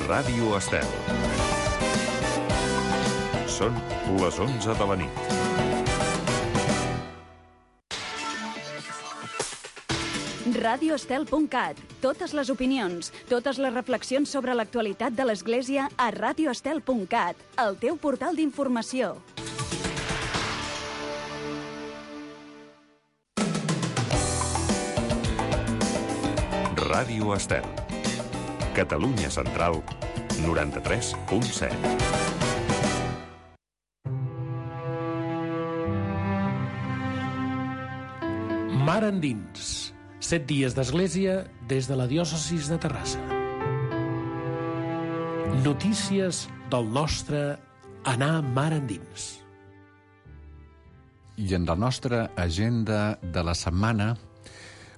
Ràdio Estel. Són les 11 de la nit. radioestel.cat. Totes les opinions, totes les reflexions sobre l'actualitat de l'Església a radioestel.cat, el teu portal d'informació. Ràdio Estel. Catalunya Central, 93.7. Mar endins. 7 dies d'església des de la diòcesis de Terrassa. Notícies del nostre anar mar endins. I en la nostra agenda de la setmana,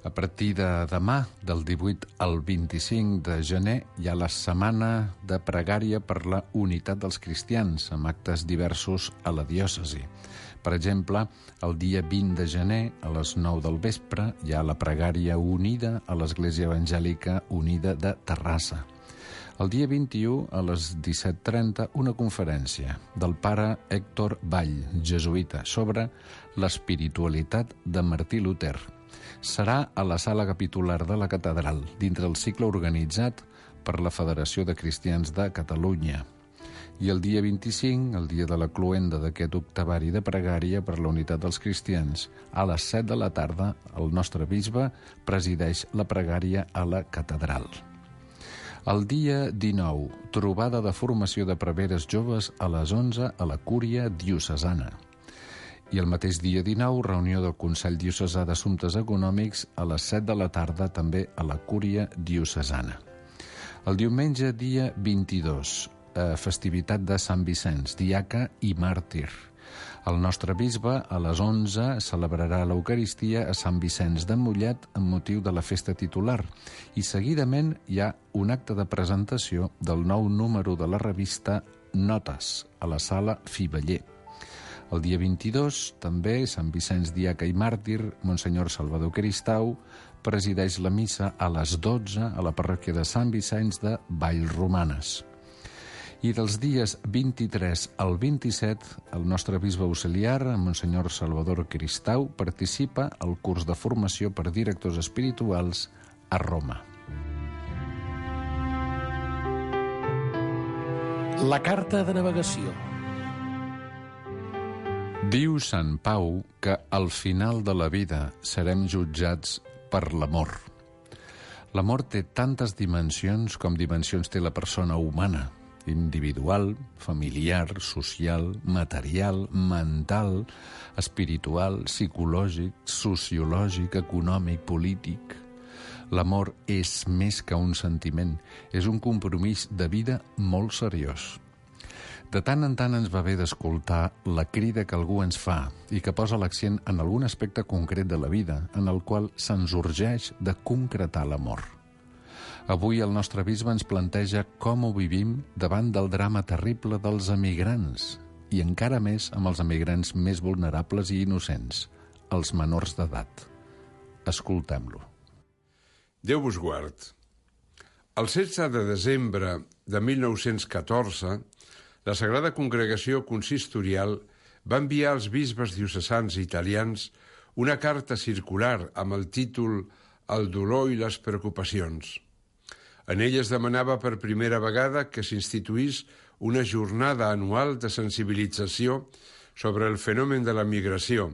a partir de demà, del 18 al 25 de gener, hi ha la setmana de pregària per la unitat dels cristians, amb actes diversos a la diòcesi. Per exemple, el dia 20 de gener, a les 9 del vespre, hi ha la pregària unida a l'Església Evangèlica Unida de Terrassa. El dia 21, a les 17:30, una conferència del pare Héctor Vall, jesuïta, sobre l'espiritualitat de Martí Luter. Serà a la sala capitular de la catedral, dintre el cicle organitzat per la Federació de Cristians de Catalunya. I el dia 25, el dia de la cloenda d'aquest octavari de pregària per la unitat dels cristians, a les 7 de la tarda, el nostre bisbe presideix la pregària a la catedral. El dia 19, trobada de formació de preveres joves a les 11 a la Cúria Diocesana. I el mateix dia 19, reunió del Consell Diocesà d'Assumptes Econòmics a les 7 de la tarda, també a la Cúria Diocesana. El diumenge, dia 22, festivitat de Sant Vicenç, diaca i màrtir. El nostre bisbe, a les 11, celebrarà l'Eucaristia a Sant Vicenç de Mollet amb motiu de la festa titular. I seguidament hi ha un acte de presentació del nou número de la revista Notes, a la sala Fiveller. El dia 22, també, Sant Vicenç diaca i màrtir, Monsenyor Salvador Cristau presideix la missa a les 12 a la parròquia de Sant Vicenç de Vallromanes. I dels dies 23 al 27, el nostre bisbe auxiliar, Monsenyor Salvador Cristau, participa al curs de formació per directors espirituals a Roma. La carta de navegació. Diu Sant Pau que al final de la vida serem jutjats per l'amor. L'amor té tantes dimensions com dimensions té la persona humana: individual, familiar, social, material, mental, espiritual, psicològic, sociològic, econòmic, polític. L'amor és més que un sentiment, és un compromís de vida molt seriós. De tant en tant ens va bé d'escoltar la crida que algú ens fa i que posa l'accent en algun aspecte concret de la vida, en el qual se'ns urgeix de concretar l'amor. Avui el nostre bisbe ens planteja com ho vivim davant del drama terrible dels emigrants, i encara més amb els emigrants més vulnerables i innocents, els menors d'edat. Escoltem-lo. Déu vos guard. El 16 de desembre de 1914, la Sagrada Congregació Consistorial va enviar als bisbes diocesans italians una carta circular amb el títol «El dolor i les preocupacions». En ella es demanava per primera vegada que s'instituís una jornada anual de sensibilització sobre el fenomen de la migració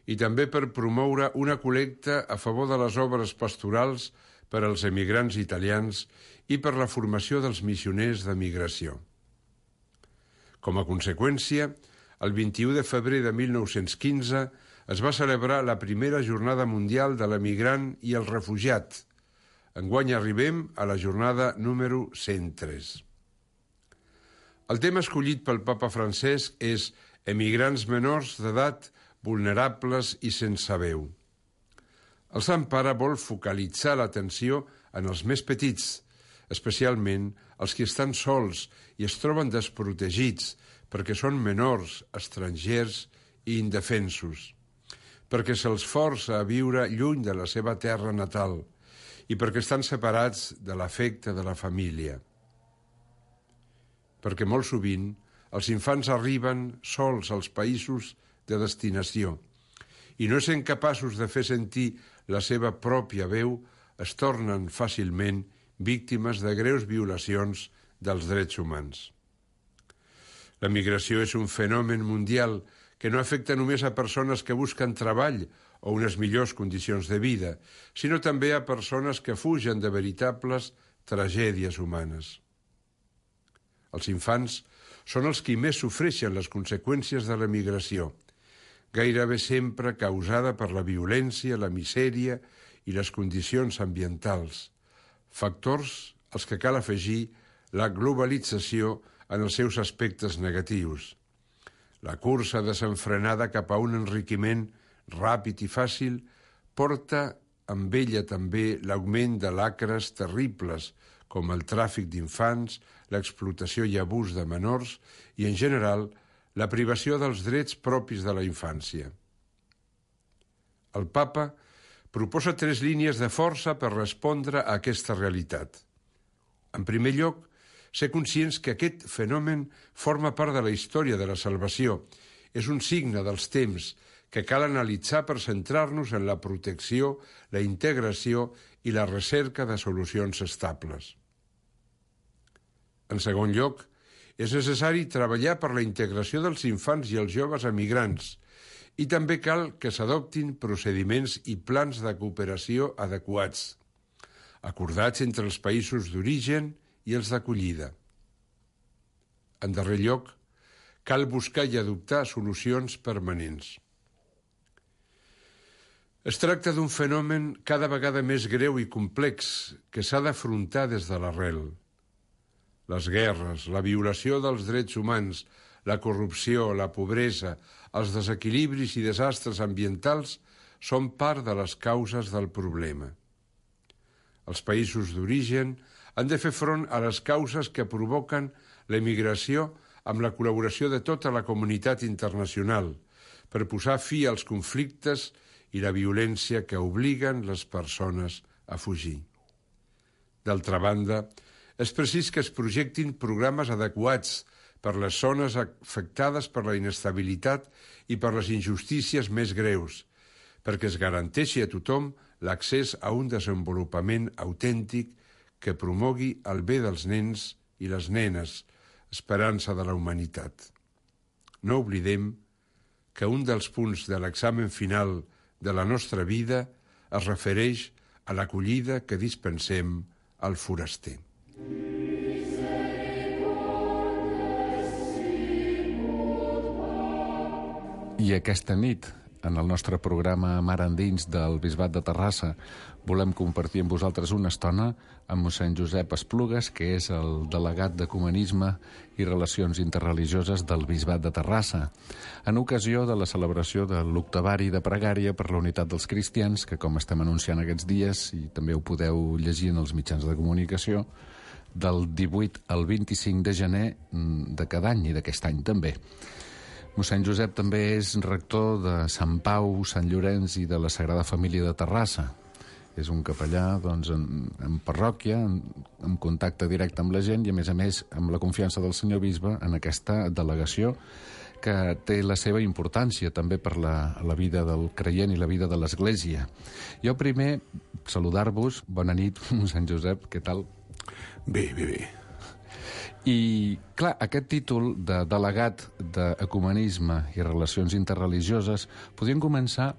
i també per promoure una col·lecta a favor de les obres pastorals per als emigrants italians i per la formació dels missioners de migració. Com a conseqüència, el 21 de febrer de 1915 es va celebrar la primera Jornada Mundial de l'Emigrant i el Refugiat. Enguany arribem a la jornada número 103. El tema escollit pel papa Francesc és «Emigrants menors d'edat vulnerables i sense veu». El Sant Pare vol focalitzar l'atenció en els més petits, especialment els que estan sols i es troben desprotegits perquè són menors, estrangers i indefensos, perquè se'ls força a viure lluny de la seva terra natal i perquè estan separats de l'afecte de la família. perquè molt sovint els infants arriben sols als països de destinació i no sent capaços de fer sentir la seva pròpia veu, es tornen fàcilment víctimes de greus violacions dels drets humans. La migració és un fenomen mundial que no afecta només a persones que busquen treball o unes millors condicions de vida, sinó també a persones que fugen de veritables tragèdies humanes. Els infants són els qui més sofreixen les conseqüències de la migració, gairebé sempre causada per la violència, la misèria i les condicions ambientals, factors als que cal afegir la globalització en els seus aspectes negatius. La cursa desenfrenada cap a un enriquiment ràpid i fàcil porta amb ella també l'augment de lacres terribles, com el tràfic d'infants, l'explotació i abús de menors i, en general, la privació dels drets propis de la infància. El Papa proposa 3 línies de força per respondre a aquesta realitat. En primer lloc, ser conscients que aquest fenomen forma part de la història de la salvació. És un signe dels temps que cal analitzar per centrar-nos en la protecció, la integració i la recerca de solucions estables. En segon lloc, és necessari treballar per la integració dels infants i els joves emigrants i també cal que s'adoptin procediments i plans de cooperació adequats, acordats entre els països d'origen i els d'acollida. En darrer lloc, cal buscar i adoptar solucions permanents. Es tracta d'un fenomen cada vegada més greu i complex que s'ha d'afrontar des de l'arrel. Les guerres, la violació dels drets humans, la corrupció, la pobresa, els desequilibris i desastres ambientals són part de les causes del problema. Els països d'origen han de fer front a les causes que provoquen l'emigració amb la col·laboració de tota la comunitat internacional per posar fi als conflictes i la violència que obliguen les persones a fugir. D'altra banda, és precís que es projectin programes adequats per les zones afectades per la inestabilitat i per les injustícies més greus, perquè es garanteixi a tothom l'accés a un desenvolupament autèntic que promogui el bé dels nens i les nenes, esperança de la humanitat. No oblidem que un dels punts de l'examen final de la nostra vida es refereix a l'acollida que dispensem al foraster. I aquesta nit, en el nostre programa Mar Endins del Bisbat de Terrassa, volem compartir amb vosaltres una estona amb mossèn Josep Esplugues, que és el delegat d'Ecumenisme i Relacions Interreligioses del Bisbat de Terrassa, en ocasió de la celebració de l'Octavari de Pregària per la Unitat dels Cristians, que, com estem anunciant aquests dies, i també ho podeu llegir en els mitjans de comunicació, del 18 al 25 de gener de cada any i d'aquest any també. Mossèn Josep també és rector de Sant Pau, Sant Llorenç i de la Sagrada Família de Terrassa. És un capellà en parròquia, en contacte directe amb la gent i, a més, amb la confiança del senyor bisbe en aquesta delegació que té la seva importància també per la vida del creient i la vida de l'Església. Jo primer, saludar-vos. Bona nit, mossèn Josep, què tal? Bé. I, clar, aquest títol de delegat d'Ecumenisme i Relacions Interreligioses podríem començar,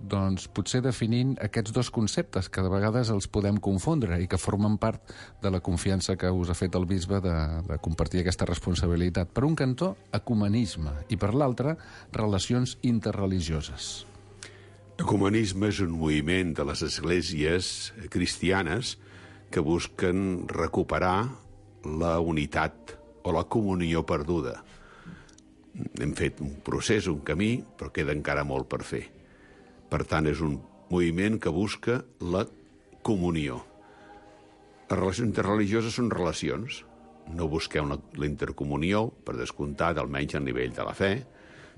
doncs, potser definint aquests dos conceptes que de vegades els podem confondre i que formen part de la confiança que us ha fet el bisbe de compartir aquesta responsabilitat. Per un cantó, ecumenisme, i per l'altre, relacions interreligioses. Ecumenisme és un moviment de les esglésies cristianes que busquen recuperar la unitat o la comunió perduda. Hem fet un procés, un camí, però queda encara molt per fer. Per tant, és un moviment que busca la comunió. Les relacions interreligioses són relacions. No busquem la intercomunió, per descomptat, almenys al nivell de la fe,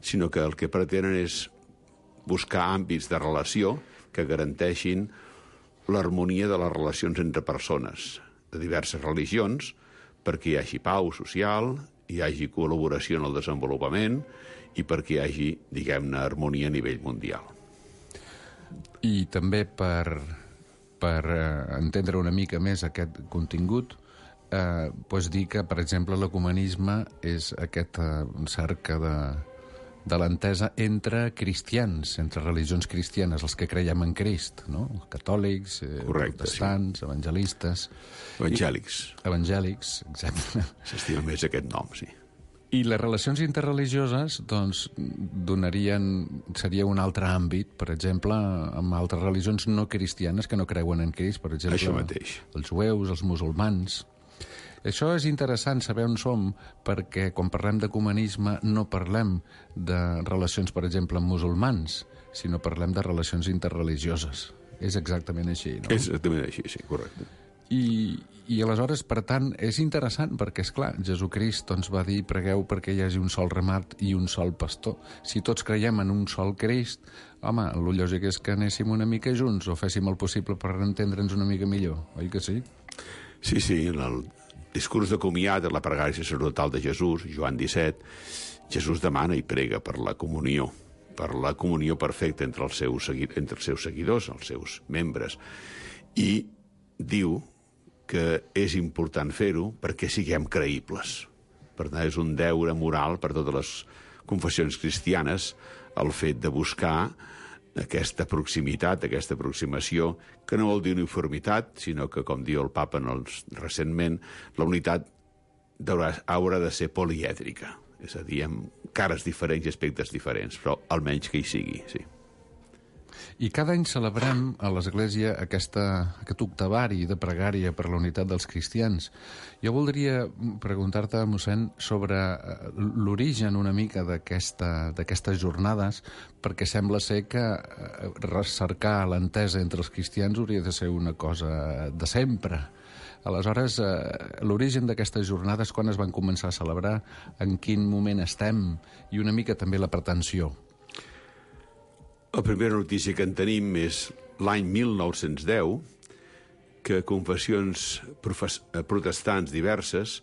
sinó que el que pretenen és buscar àmbits de relació que garanteixin l'harmonia de les relacions entre persones de diverses religions, perquè hi hagi pau social hi hagi col·laboració en el desenvolupament i perquè hi hagi, diguem-ne, harmonia a nivell mundial. I també per entendre una mica més aquest contingut, pots dir que, per exemple, l'ecumenisme és aquesta cerca de l'entesa entre cristians, entre religions cristianes, els que creiem en Crist, no? Catòlics, protestants, sí. Evangelistes... Evangèlics, exacte. S'estima més aquest nom, sí. I les relacions interreligioses, doncs, seria un altre àmbit, per exemple, amb altres religions no cristianes que no creuen en Crist, per exemple, això mateix. Els jueus, els musulmans. Això és interessant saber on som, perquè quan parlem d'ecumenisme no parlem de relacions, per exemple, amb musulmans, sinó parlem de relacions interreligioses. És exactament així, no? És exactament així, sí, correcte. I aleshores, per tant, és interessant perquè, és clar, Jesucrist doncs, va dir pregueu perquè hi hagi un sol ramat i un sol pastor. Si tots creiem en un sol Crist, home, el lògic és que anéssim una mica junts o féssim el possible per entendre'ns una mica millor, oi que sí? Sí, en el discurs de comiat de la pregària sacerdotal de Jesús, Joan 17, Jesús demana i prega per la comunió perfecta entre els seus seguidors, els seus membres, i diu que és important fer-ho perquè siguem creïbles. Per tant, és un deure moral per totes les confessions cristianes el fet de buscar aquesta proximitat, aquesta aproximació, que no vol dir uniformitat, sinó que, com diu el papa recentment, la unitat haurà de ser polièdrica, és a dir, amb cares diferents i aspectes diferents, però almenys que hi sigui, sí. I cada any celebrem a l'Església aquest octavari de pregària per la unitat dels cristians. Jo voldria preguntar-te, mossèn, sobre l'origen una mica d'aquestes jornades, perquè sembla ser que recercar l'entesa entre els cristians hauria de ser una cosa de sempre. Aleshores, l'origen d'aquestes jornades, quan es van començar a celebrar, en quin moment estem, i una mica també la pretensió. La primera notícia que en tenim és l'any 1910, que confessions protestants diverses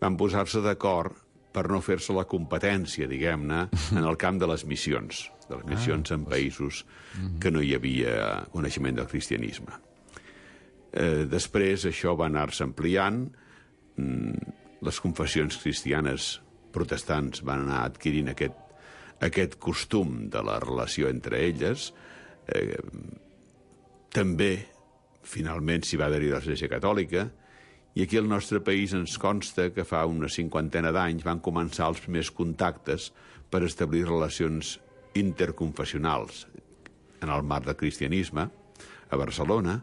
van posar-se d'acord per no fer-se la competència, diguem-ne, en el camp de les missions en països que no hi havia coneixement del cristianisme. Després això va anar-se ampliant, les confessions cristianes protestants van anar adquirint aquest costum de la relació entre elles. També, finalment, s'hi va adherir l'Església Catòlica, i aquí al nostre país ens consta que fa una 50 d'anys van començar els primers contactes per establir relacions interconfessionals en el marc del cristianisme a Barcelona,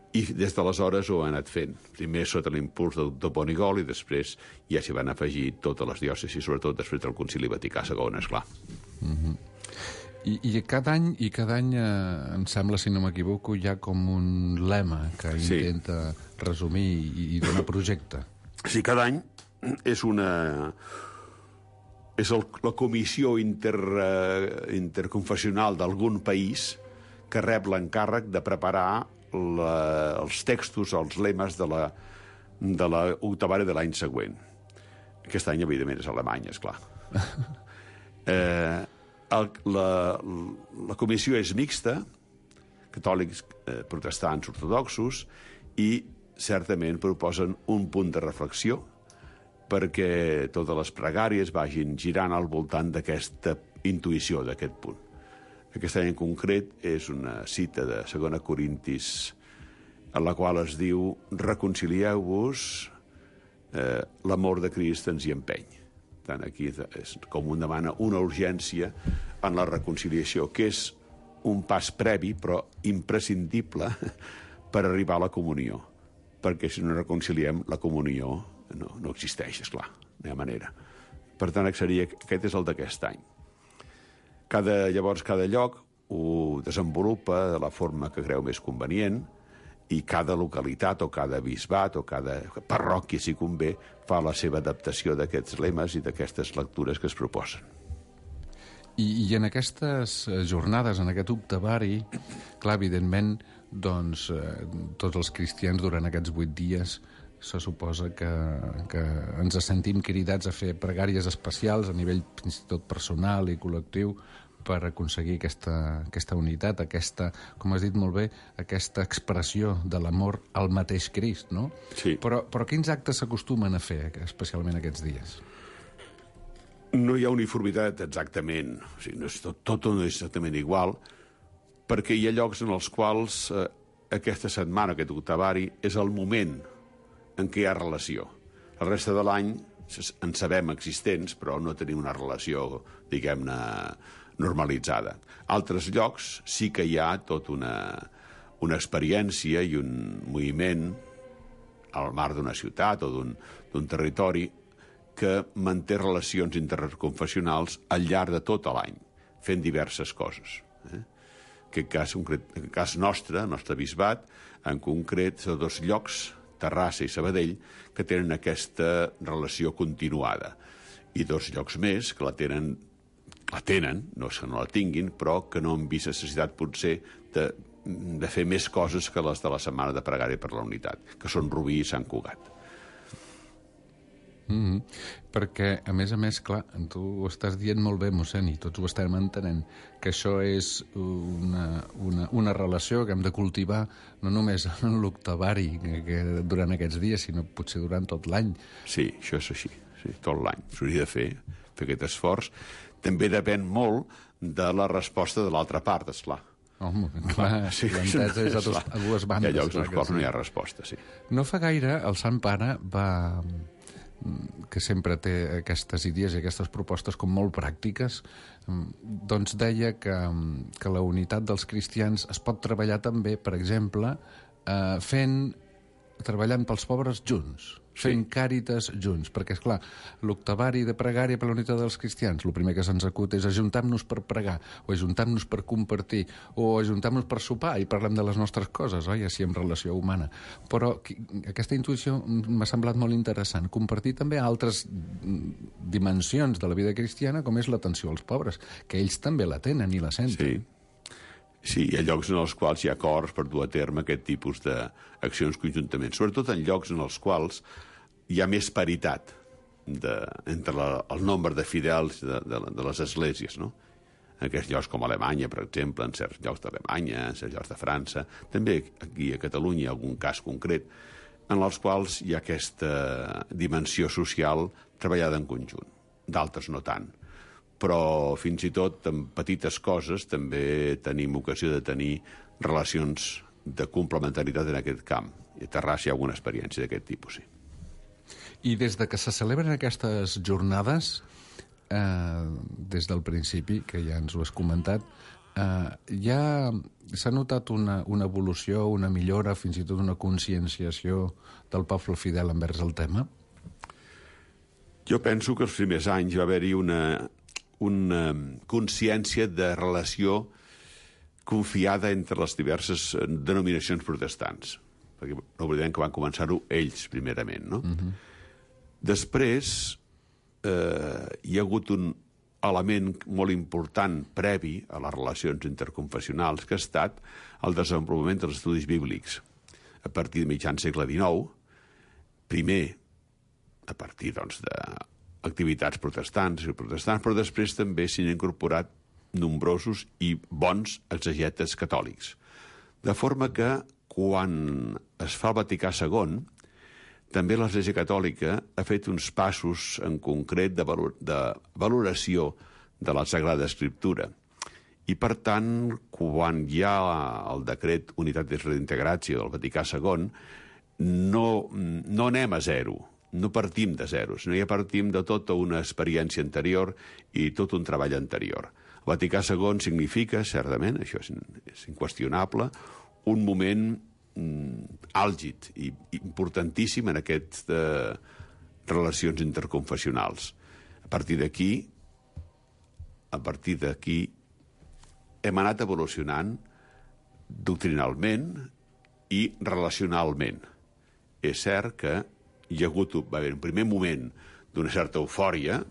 i des d'aleshores ho han anat fent. Primer sota l'impuls del doctor Bonigol i després ja s'hi van afegir totes les diòcesis, sobretot després del Concili Vaticà II, esclar. I cada any, em sembla, si no m'equivoco, hi ha com un lema que intenta resumir i donar projecte. Sí, cada any és la comissió interconfessional d'algun país que rep l'encàrrec de preparar els textos, els lemes de l'octavari de l'any següent. Aquest any, evidentment, és Alemanya, esclar. La comissió és mixta, catòlics, protestants, ortodoxos, i certament proposen un punt de reflexió perquè totes les pregàries vagin girant al voltant d'aquesta intuïció, d'aquest punt. Aquest any en concret és una cita de 2 Corintis en la qual es diu reconcilieu-vos, l'amor de Crist ens hi empeny. Tant aquí és com un demana una urgència en la reconciliació, que és un pas previ però imprescindible per arribar a la comunió, perquè si no reconciliem la comunió no existeix, esclar, no hi ha manera. Per tant, aquest és el d'aquest any. Llavors, cada lloc ho desenvolupa de la forma que creu més convenient i cada localitat o cada bisbat o cada parròquia, si convé, fa la seva adaptació d'aquests lemes i d'aquestes lectures que es proposen. I en aquestes jornades, en aquest octavari, clar, evidentment, doncs, tots els cristians durant aquests 8 dies se suposa que ens sentim cridats a fer pregàries especials a nivell fins i tot personal i col·lectiu per aconseguir aquesta unitat, com has dit molt bé, aquesta expressió de l'amor al mateix Crist, no? Sí. Però quins actes s'acostumen a fer, especialment aquests dies? No hi ha uniformitat exactament, o sigui, tot no és exactament igual, perquè hi ha llocs en els quals aquesta setmana, aquest octavari, és el moment en què hi ha relació. La resta de l'any en sabem existents, però no tenim una relació, diguem-ne, normalitzada. Altres llocs sí que hi ha tota una experiència i un moviment al mar d'una ciutat o d'un territori que manté relacions interconfessionals al llarg de tot l'any, fent diverses coses. En aquest cas nostre, el nostre bisbat, en concret, són 2 llocs, Terrassa i Sabadell, que tenen aquesta relació continuada. I 2 llocs més que la tenen, no és que no la tinguin, però que no han vist necessitat, potser, de fer més coses que les de la Setmana de Pregària per la Unitat, que són Rubí i Sant Cugat. Perquè, a més, clar, tu ho estàs dient molt bé, mossèn, i tots ho estem entenent, que això és una relació que hem de cultivar no només en l'octavari durant aquests dies, sinó potser durant tot l'any. Sí, això és així, sí, tot l'any. S'hauria de fer aquest esforç. També depèn molt de la resposta de l'altra part, esclar. Home, clar, sí, l'entesa és a dues bandes. Hi ha llocs als quals no hi ha resposta, sí. No fa gaire el Sant Pare que sempre té aquestes idees i aquestes propostes com molt pràctiques, doncs deia que la unitat dels cristians es pot treballar també, per exemple, treballant pels pobres junts, fent càritas junts, perquè, esclar, l'octavari de pregària per la unitat dels cristians, el primer que se'ns acut és ajuntar-nos per pregar, o ajuntar-nos per compartir, o ajuntar-nos per sopar i parlem de les nostres coses, oi? Així en relació humana. Però aquesta intuïció m'ha semblat molt interessant. Compartir també altres dimensions de la vida cristiana, com és l'atenció als pobres, que ells també la tenen i la senten. Sí, hi ha llocs en els quals hi ha acords per dur a terme aquest tipus d'accions conjuntament, sobretot en llocs en els quals hi ha més paritat entre el nombre de fidels de les esglésies, no? En aquests llocs com Alemanya, per exemple, en certs llocs d'Alemanya, en certs llocs de França, també aquí a Catalunya hi ha algun cas concret, en els quals hi ha aquesta dimensió social treballada en conjunt. D'altres no tant. Però fins i tot en petites coses també tenim ocasió de tenir relacions de complementaritat en aquest camp. I a Terrassa hi ha alguna experiència d'aquest tipus, sí. I des de que se celebren aquestes jornades, des del principi, que ja ens ho has comentat, ja s'ha notat una evolució, una millora, fins i tot una conscienciació del poble fidel envers el tema? Jo penso que els primers anys va haver-hi una consciència de relació confiada entre les diverses denominacions protestants, perquè no oblidem que van començar-ho ells primerament, no? Després hi ha hagut un element molt important previ a les relacions interconfessionals, que ha estat el desenvolupament dels estudis bíblics a partir de mitjan segle XIX, primer a partir, doncs, d'activitats protestants, però després també s'hi han incorporat nombrosos i bons exegetes catòlics. De forma que, quan es fa el Vaticà II, també l'Església Catòlica ha fet uns passos en concret de valoració de la Sagrada Escriptura. I, per tant, quan hi ha el decret Unitatis Redintegratio del Vaticà II, no anem a zero, no partim de zero, sinó ja partim de tota una experiència anterior i tot un treball anterior. El Vaticà II significa, certament, això és inqüestionable, un moment àlgid i importantíssim en aquestes relacions interconfessionals. A partir d'aquí hem anat evolucionant doctrinalment i relacionalment. És cert que va haver un primer moment d'una certa eufòria,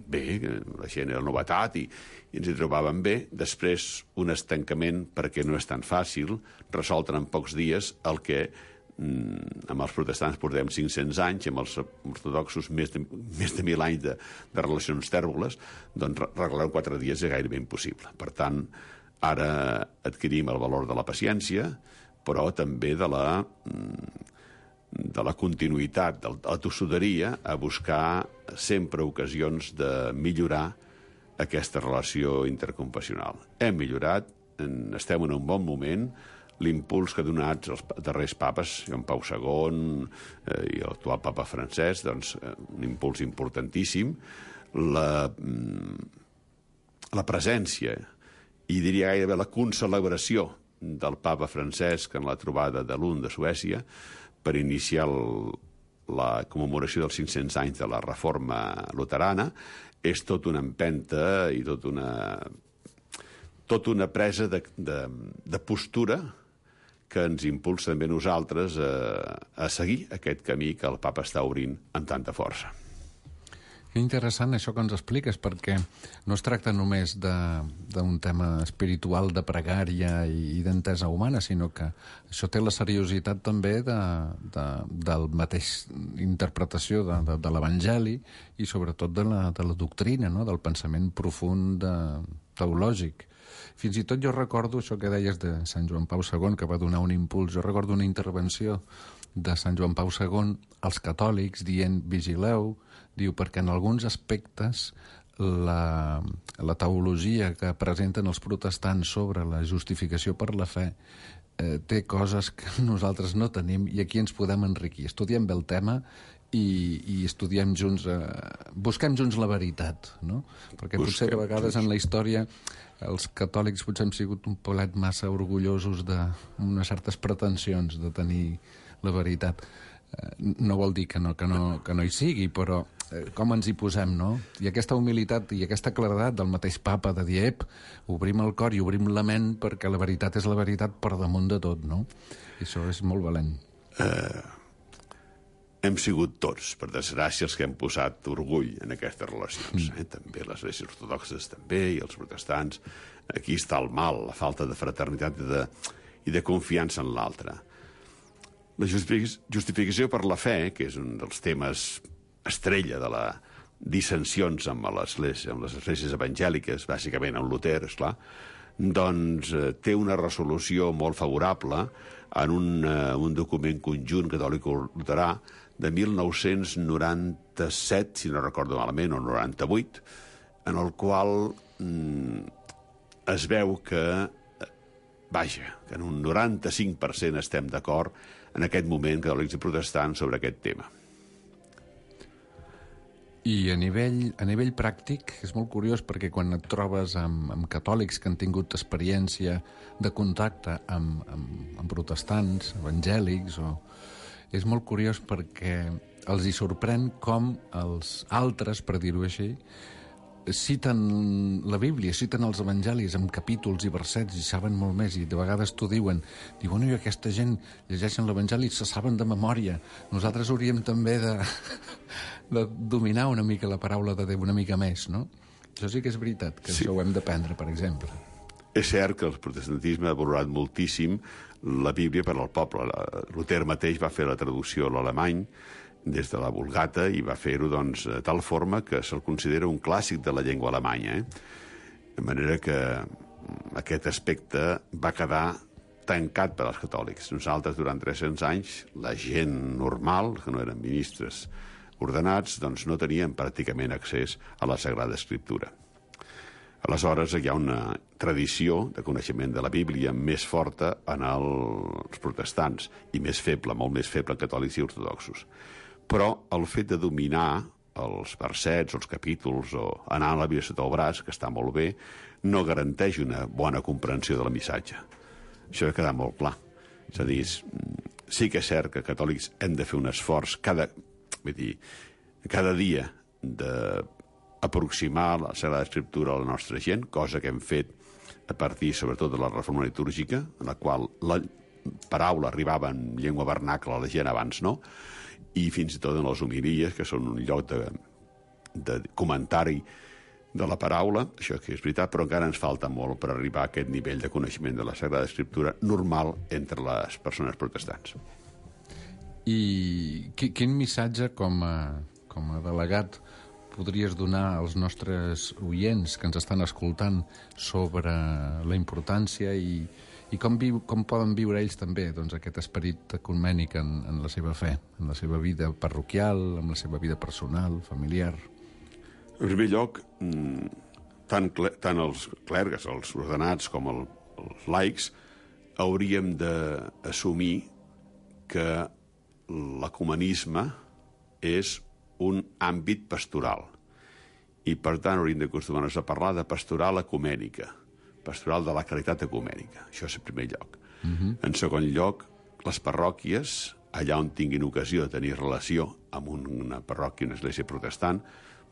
bé, la gent era novetat i ens hi trobàvem bé, després un estancament perquè no és tan fàcil resoldre en pocs dies el que amb els protestants portem 500 anys, amb els ortodoxos més de 1.000 anys de relacions tèrboles, doncs regular 4 dies és gairebé impossible. Per tant, ara adquirim el valor de la paciència, però també de la continuïtat, de la tossuderia, a buscar sempre ocasions de millorar aquesta relació interconfessional. Hem millorat, estem en un bon moment, l'impuls que ha donat els darrers papes, Joan Pau II i l'actual papa francès, doncs un impuls importantíssim, la presència i diria gairebé la concelebració del papa Francesc en la trobada de Lund de Suècia per iniciar la commemoració dels 500 anys de la reforma luterana és tot una empenta i tot una presa de postura que ens impulsa també nosaltres a seguir aquest camí que el papa està obrint amb tanta força. Que interessant això que ens expliques, perquè no es tracta només d'un tema espiritual de pregària i d'entesa humana, sinó que això té la seriositat també del mateix interpretació de l'Evangeli i sobretot de la doctrina, no? Del pensament profund teològic. Fins i tot jo recordo això que deies de Sant Joan Pau II, que va donar un impuls. Jo recordo una intervenció de Sant Joan Pau II als catòlics dient vigileu, diu, perquè en alguns aspectes la teologia que presenten els protestants sobre la justificació per la fe té coses que nosaltres no tenim i aquí ens podem enriquir. Estudiem bé el tema i estudiem junts, busquem junts la veritat, no? Perquè potser a vegades en la història els catòlics potser hem sigut un polet massa orgullosos d'unes certes pretensions de tenir la veritat. No vol dir que no hi sigui, però com ens hi posem, no? I aquesta humilitat i aquesta claredat del mateix papa de dir, obrim el cor i obrim la ment perquè la veritat és la veritat per damunt de tot, no? I això és molt valent. Hem sigut tots, per desgràcia, els que hem posat orgull en aquestes relacions. També les esglésies ortodoxes també, i els protestants. Aquí està el mal, la falta de fraternitat i de confiança en l'altre. La justificació per la fe, que és un dels temes estrella de les dissensions amb les esglésies evangèliques, bàsicament amb Luter, esclar, doncs té una resolució molt favorable en un document conjunt catòlic-luterà de 1997, si no recordo malament, o 98, en el qual es veu que en un 95% estem d'acord en aquest moment catòlics i protestants sobre aquest tema. I a nivell pràctic és molt curiós perquè quan et trobes amb catòlics que han tingut experiència de contacte amb protestants, evangèlics, és molt curiós perquè els hi sorprèn com els altres, per dir-ho així, citen la Bíblia, citen els evangelis amb capítols i versets i saben molt més, i de vegades t'ho diuen, i aquesta gent llegeixen l'evangeli i se saben de memòria. Nosaltres hauríem també de dominar una mica la paraula de Déu, una mica més, no? Això sí que és veritat, que això ho hem d'aprendre, per exemple. És cert que el protestantisme ha valorat moltíssim la Bíblia per al poble. Luter mateix va fer la traducció a l'alemany des de la Vulgata i va fer-ho doncs, de tal forma que se'l considera un clàssic de la llengua alemanya. De manera que aquest aspecte va quedar tancat per als catòlics. Nosaltres, durant 300 anys, la gent normal, que no eren ministres ordenats, doncs no tenien pràcticament accés a la Sagrada Escriptura. Aleshores, hi ha una tradició de coneixement de la Bíblia més forta en els protestants i més feble, molt més feble en catòlics i ortodoxos. Però el fet de dominar els versets, els capítols, o anar a la Bíblia sota el braç, que està molt bé, no garanteix una bona comprensió del missatge. Això ha quedat molt clar. És a dir, sí que és cert que catòlics hem de fer un esforç cada dia d'aproximar la Sagrada Escriptura a la nostra gent, cosa que hem fet a partir, sobretot, de la reforma litúrgica, en la qual la paraula arribava en llengua vernacla a la gent, abans no, i fins i tot en les homilies, que són un lloc de comentari de la paraula, això que és veritat, però encara ens falta molt per arribar a aquest nivell de coneixement de la Sagrada Escriptura normal entre les persones protestants. I quin missatge com a delegat podries donar als nostres oients que ens estan escoltant sobre la importància i com poden viure ells també doncs, aquest esperit ecumènic en la seva fe, en la seva vida parroquial, en la seva vida personal, familiar? En primer lloc, tant els clergues, els ordenats, com els laics, hauríem d'assumir que l'ecumenisme és un àmbit pastoral i, per tant, hauríem d'acostumar-nos a parlar de pastoral ecumènica, pastoral de la caritat ecumènica. Això és en primer lloc. En segon lloc, les parròquies, allà on tinguin ocasió de tenir relació amb una parròquia, una església protestant,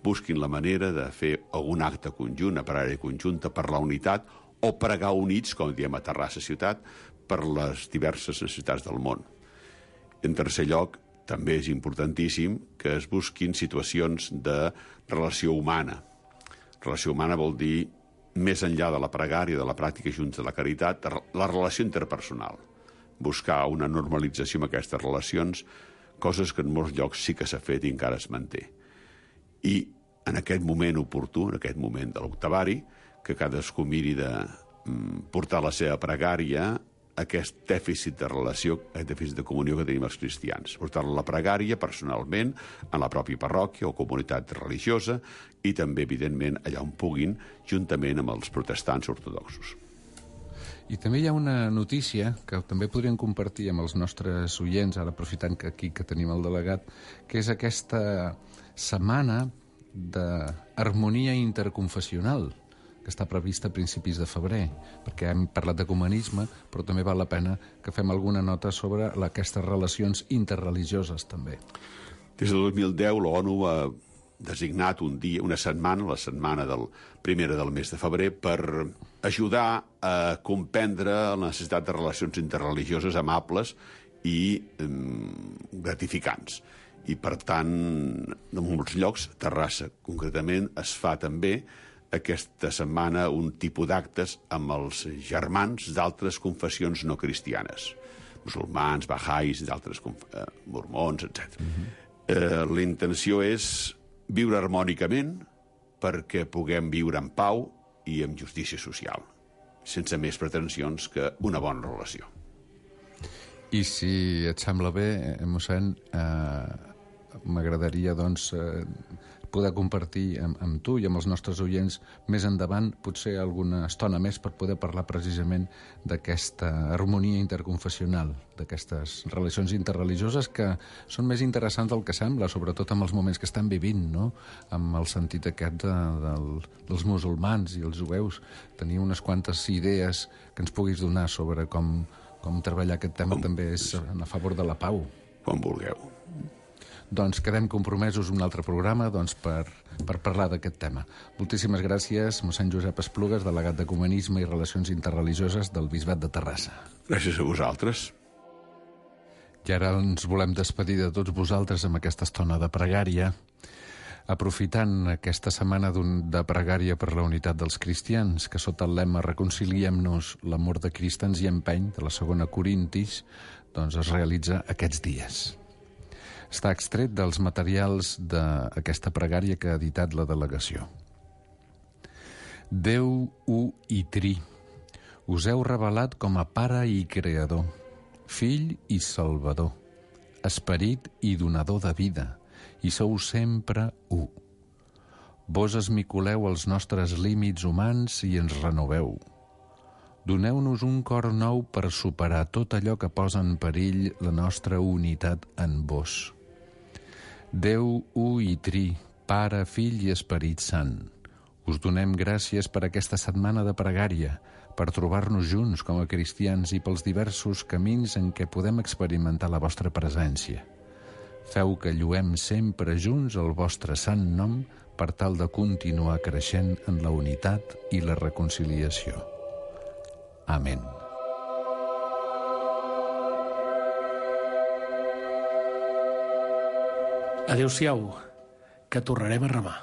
busquin la manera de fer algun acte conjunt, una pregària conjunta per la unitat o pregar units, com diem a Terrassa ciutat, per les diverses necessitats del món. En tercer lloc, també és importantíssim que es busquin situacions de relació humana. Relació humana vol dir, més enllà de la pregària, de la pràctica junta de la caritat, la relació interpersonal. Buscar una normalització amb aquestes relacions, coses que en molts llocs sí que s'ha fet i encara es manté. I en aquest moment oportú, en aquest moment de l'octavari, que cadascú miri de portar la seva pregària, aquest dèficit de relació, aquest dèficit de comunió que tenim els cristians. Portar-la a la pregària personalment, en la pròpia parròquia o comunitat religiosa i també, evidentment, allà on puguin, juntament amb els protestants ortodoxos. I també hi ha una notícia que també podríem compartir amb els nostres oients, ara aprofitant que aquí que tenim el delegat, que és aquesta setmana d'harmonia interconfessional, que està prevista a principis de febrer, perquè hem parlat d'ecumenisme, però també val la pena que fem alguna nota sobre aquestes relacions interreligioses, també. Des del 2010, l'ONU ha designat un dia, una setmana, la setmana primera del mes de febrer, per ajudar a comprendre la necessitat de relacions interreligioses amables i gratificants. I, per tant, en molts llocs, Terrassa, concretament, es fa també aquesta setmana un tipus d'actes amb els germans d'altres confessions no cristianes, musulmans, bahais, d'altres mormons, etc. La intenció és viure harmònicament perquè puguem viure en pau i amb justícia social, sense més pretensions que una bona relació. I si et sembla bé, mossèn, m'agradaria, doncs, poder compartir amb tu i amb els nostres oients més endavant, potser alguna estona més, per poder parlar precisament d'aquesta harmonia interconfessional, d'aquestes relacions interreligioses que són més interessants del que sembla, sobretot amb els moments que estem vivint, no? Amb el sentit aquest dels musulmans i els jueus. Tenir unes quantes idees que ens puguis donar sobre com treballar aquest tema també és a favor de la pau. Com vulgueu. Doncs quedem compromesos un altre programa per parlar d'aquest tema. Moltíssimes gràcies, mossèn Josep Esplugues, delegat d'Ecumenisme i Relacions Interreligioses del Bisbat de Terrassa. Gràcies a vosaltres. I ara ens volem despedir de tots vosaltres amb aquesta estona de pregària, aprofitant aquesta setmana de pregària per la unitat dels cristians, que sota el lema Reconciliem-nos, l'amor de Crist ens hi empeny, de la 2 Corintis, doncs es realitza aquests dies. Està extret dels materials d'aquesta pregària que ha editat la delegació. Déu u i tri, us heu revelat com a Pare i Creador, Fill i Salvador, Esperit i donador de vida, i sou sempre u. Vos esmicoleu els nostres límits humans i ens renoveu. Doneu-nos un cor nou per superar tot allò que posa en perill la nostra unitat en vos. Déu u i tri, Pare, Fill i Esperit Sant, us donem gràcies per aquesta setmana de pregària, per trobar-nos junts com a cristians i pels diversos camins en què podem experimentar la vostra presència. Feu que lluem sempre junts el vostre sant nom per tal de continuar creixent en la unitat i la reconciliació. Amén. Adéu-siau, que tornarem a remar.